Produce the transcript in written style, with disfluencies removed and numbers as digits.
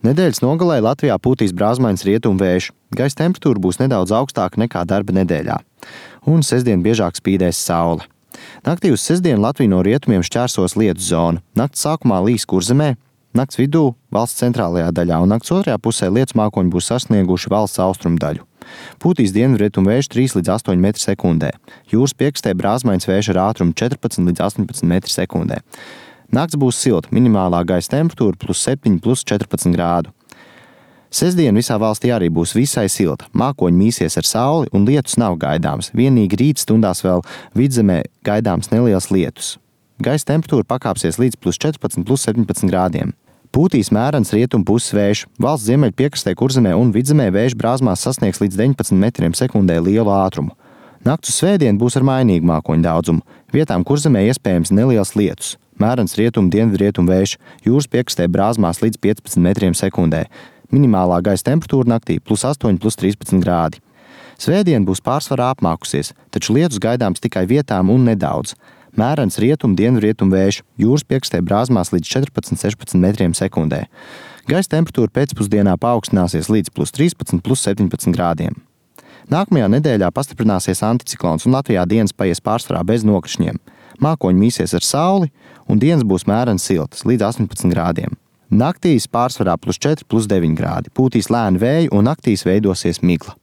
Nedēļas nogalē Latvijā pūtīs brāzmains rietumu vējš. Gaisa temperatūra būs nedaudz augstāka nekā darba nedēļā. Un sestdien biežāk spīdēs saule. Naktī uz sestdienu Latviju no rietumiem šķērsos lietus zona. Nakts sākumā līs Kurzemē, nakts vidū valsts centrālajā daļā un nakts otrajā pusē lietus mākoņi būs sasnieguši valsts austrumu daļu. Pūtīs dienvidrietumu vējš 3 līdz 8 metri sekundē. Jūras piekastē brāzmains vējš ar ātrumu 14 līdz 18 metri sekundē. Nakts būs silta, minimālā gaisa temperatūra +7, +14 grādu. Sestdien visā valstī arī būs visai silta. Mākoņi mīsies ar sauli un lietus nav gaidāms. Vienīgi rīt stundās vēl vidzemē gaidāms neliels lietus. Gaisa temperatūra pakāpsies līdz +14, +17 grādiem. Pūtīs mērens rietumu puses vējš. Valsts ziemeļu piekastē Kurzemē un vidzemē vējš brāzmās sasniegs līdz 19 metriem sekundē lielu ātrumu. Nakts uz svētdienu būs ar mainīgu mākoņu daudzumu. Vietām Kurzemē iespējams neliels lietus. Mērens rietumu dienvidrietumu vējš. Jūras piekastē brāzmās līdz 15 metriem sekundē. Minimālā gaisa temperatūra naktī +8, +13 grādi. Svētdien būs pārsvarā apmākusies, taču lietus gaidāms tikai vietām un nedaudz. Mērens rietumu dienvidrietumu vējš. Jūras piekastē brāzmās līdz 14-16 metriem sekundē. Gaisa temperatūra pēcpusdienā paaugstināsies līdz +13, +17 grādiem. Nākamajā nedēļā pastiprināsies anticiklons un Latvijā dienas paies pārsvarā bez nokrišņiem. Mākoņi mīsies ar sauli un dienas būs mērens siltas līdz 18 grādiem. Naktīs pārsvarā +4, +9 grādi. Pūtīs lēni vēji un naktīs veidosies migla.